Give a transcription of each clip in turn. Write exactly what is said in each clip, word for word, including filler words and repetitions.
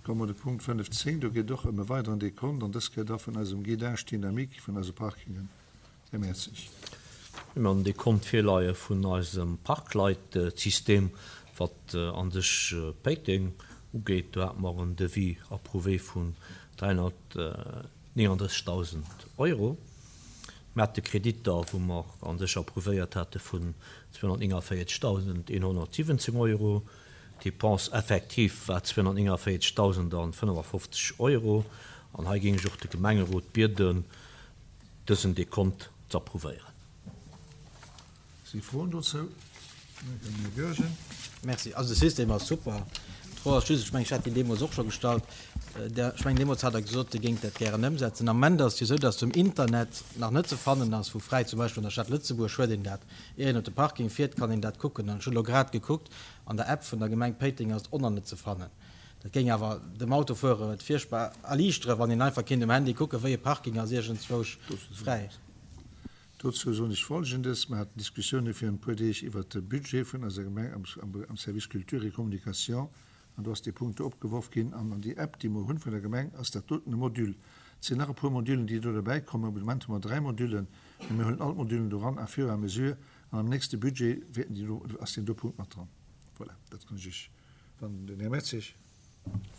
Komme mer de Punkt fënnef zéng, do geet et och ëm e weideren Dekont, an dës Kéier da vun eisem Guidage dynamique vun eise Parkingen. Här Mertzig. Mir hunn en Dekont virleie vun eisem Parkleitsystem, wat a sech Péiteng ugeet. Do hate mer en Devis approuvé vun dräihonnertnienunddrëssigtausend Euro. Mir hate Kreditter, wou mer a sech approuvéiert hate vun zweehonnertnéngundvéierzegtausendeenhonnertsiwwenzéng Euro. D'Dépense effective war zweehonnertnéngundvéierzegtausendfënnefafofzeg Euro. An hei géing ech och de Gemengerot bieden, dësen Dekont ze approuvéieren. Si Froen dozou? Här Goergen. Merci. Also de System ass super. D'Fro ass just, ech mengen, ech hat déi deemools och scho gestallt, Der, ech mengen, deemools hat Der gesot, Dir géingt dat gären ëmsetzen. Am Ament ass et jo esou, dass um Internet nach net ze fannen ass, wou fräi, zum Beispill an der Stad Lëtzebuerg huet een dat, ier een op de Parking fiert, kann een dat kucken. An ech hunn elo grad gekuckt, an der App vun der Gemeng Péiteng ass et och nach net ze fannen. Dat géing awer dem Autofuerer et fierchtbar erliichteren, wann een einfach kéint um Handy kucken, wéi e Parking ass iergendzwousch fräi. Dozou soen ech Folgendes, Mer haten Diskussioune virun e puer Deeg iwwert de Budget vun eiser Gemeng am Service Culture et Communication an do ass dee Punkt do opgeworf ginn. An an déi App, déi mer hunn vun der Gemeng, ass dat doten e Module. Et sinn nach e puer Modulen, déi do derbäi kommen. Op de Moment hu mer dräi Modulen, mee mir huelen all d'Modulen do ran à fur et à mesure an am nächste Budget wäerten déi do, ass deen do Punkt mat dran. Voilà, dat kann ech Iech, wann den Här Mertzig.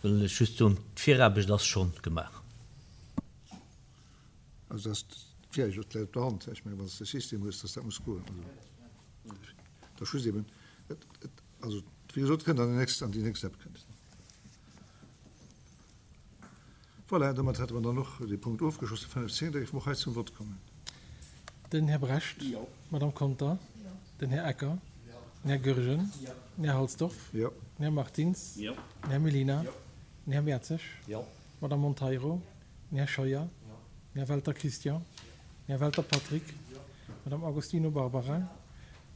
Wëll ech just soen, d'Viraarbecht ass schonn gemaach. Also dat ass d'Viraarbecht, dat läit op der Hand. Ech mengen, wann s de e System hues, dass dat muss goen. Also dat ass just eben, et, et, also wéi gesot, kënnt an déi nächst, an déi nächst App kënnt et. Voilà, domat hätte mer dann och dee Punkt ofgeschloss, de fënnefzéng. Da géife mer och hei zum Vott kommen. Den Här Brecht. Jo. D'Madame Conter. Jo. Den Här Ecker. Jo. Den Här Goergen. Jo. Den Här Halsdorf. Jo. Den Här Martins. Jo. Den Här Mellina. Jo. Den Här Mertzig. Jo. D'Madame Monteiro. Den Här Scheuer. Jo. Den Här Welter Christian. Den Här Welter Patrick. Jo. D'Madame Agostino Barbara.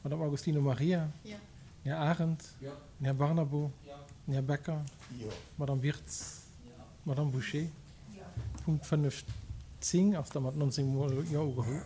D'Madame Agostino Maria. Jo. Den Här Arendt. Jo. Den Här Barnabo. Jo. Den Här Becker. Jo. D'Madame Wirtz. Jo. D'Madame Bouché. Jo. Punkt fënnefzéng ass da mat nonzéng Mol Jo ugeholl.